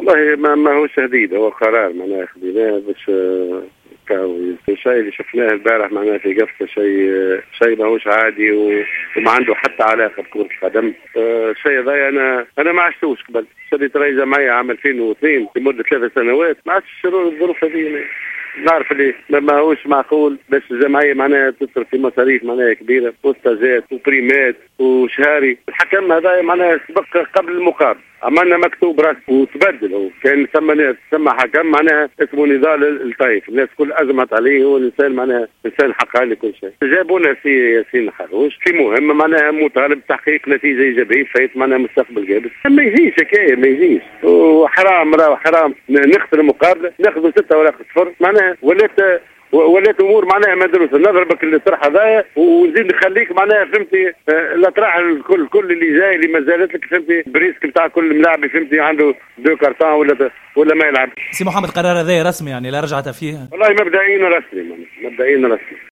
والله ما هوش تهديد، هو قرار معناها خذيناه باش الشيء اللي شفناه البارح معناها في قفصه شيء ماهوش عادي وما عنده حتى علاقة بكره القدم. الشيء هذا انا ما عشتوش قبل. شديت رئيس جمعية عام 2002 لمدة 3 سنوات، ما عادش الظروف هذه. نعرف اللي ماهوش معقول باش الجمعية معناها تصرف في مصاريف معناها كبيرة وستاجات وبريمات وشهاري. الحكم هذا معناها سبق قبل المقابل، عملنا مكتوب رسمي وتبدل. هو كان ثم حكم معناها اسمه نضال الطيف، الناس كل ازمت عليه، هو الانسان معناها انسان حقاني كل شيء. جابونا سي ياسين حروش في مهمة معناها مطالب تحقيق نتيجة ايجابية فايت معناها مستقبل قابس. ما يجيش حكاية، ما يجيش، وحرام راهو حرام نخسر المقابلة، ناخذ 6 ولا 0 معناها ولات امور معناها مدروسة. نضربك الطرح هذايا ونزيد نخليك معناها فهمتي الاطراح الكل كل اللي جاي اللي ما زالت لك فهمتي ب risque نتاع كل ملاعب فهمتي عنده deux cartons ولا ما يلعب. سي محمد، قرار هذا رسمي يعني لا رجعة فيه؟ والله مبدئيا رسمي، مبدئيا رسمي.